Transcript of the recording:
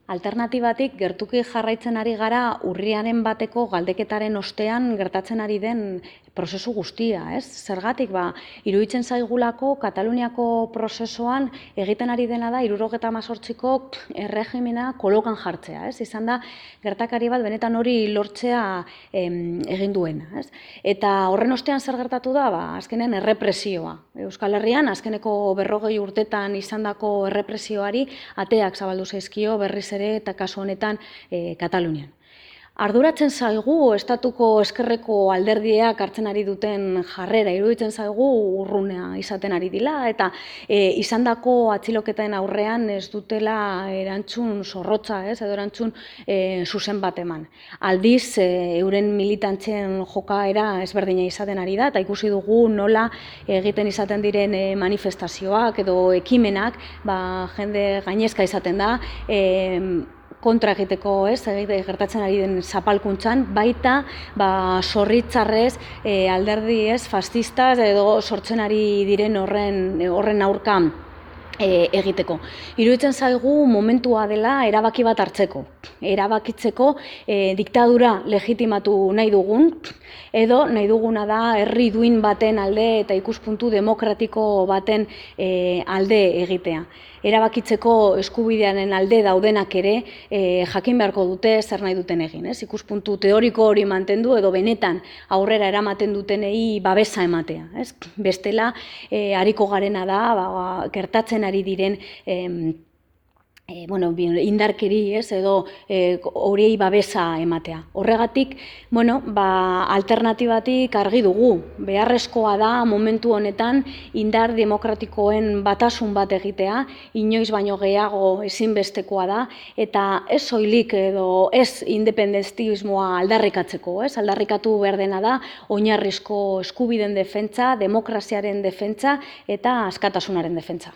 Alternatibatik gertuki jarraitzen ari gara urriaren bateko galdeketaren ostean gertatzen ari den prozesu guztia, ez? Zergatik, iruditzen zaigulako Kataluniako prozesuan egiten ari dena da 78ko erregimena kolokan jartzea, ez? Izan da gertakari bat benetan hori lortzea egin duena, ez? Eta horren ostean zer gertatu da? Azkenen errepresioa. Euskal Herrian azkeneko 40 urtetan izandako errepresioari ateak zabaldu zaizkio berriz ere eta kasu honetan Katalunian. Arduratzen zaigu estatuko ezkerreko alderdiak hartzen ari duten jarrera, iruditzen zaigu urrunea izaten ari dila eta izandako atxiloketen aurrean ez dutela erantzun zorrotza, edo erantzun zuzen bat eman. Aldiz, euren militantzen jokaera ezberdina izaten ari da eta ikusi dugu nola egiten izaten diren manifestazioak edo ekimenak, jende gainezka izaten da, kontra egiteko, gertatzen ari den zapalkuntzan, baita zorritzarrez alderdi fascistas edo sortzen ari diren horren aurka egiteko. Iruditzen zaigu momentua dela erabaki bat hartzeko. Erabakitzeko diktadura legitimatu nahi dugun, edo nahi duguna da herri duin baten alde eta ikuspuntu demokratiko baten alde egitea. Erabakitzeko eskubidearen alde daudenak ere jakin beharko dute zer nahi duten egin. Ikuspuntu teoriko hori mantendu edo benetan aurrera eramaten dutenei babesa ematea. Bestela, ariko garena da, gertatzen ari diren indarkeri edo horiei babesa ematea. Horregatik, alternatibatik argi dugu. Beharrezkoa da momentu honetan indar demokratikoen batasun bat egitea, inoiz baino gehiago ezinbestekoa da, eta ez soilik edo ez independentismoa aldarrikatzeko. Aldarrikatu behar dena da oinarrizko eskubideen defentsa, demokraziaren defentsa eta askatasunaren defentsa.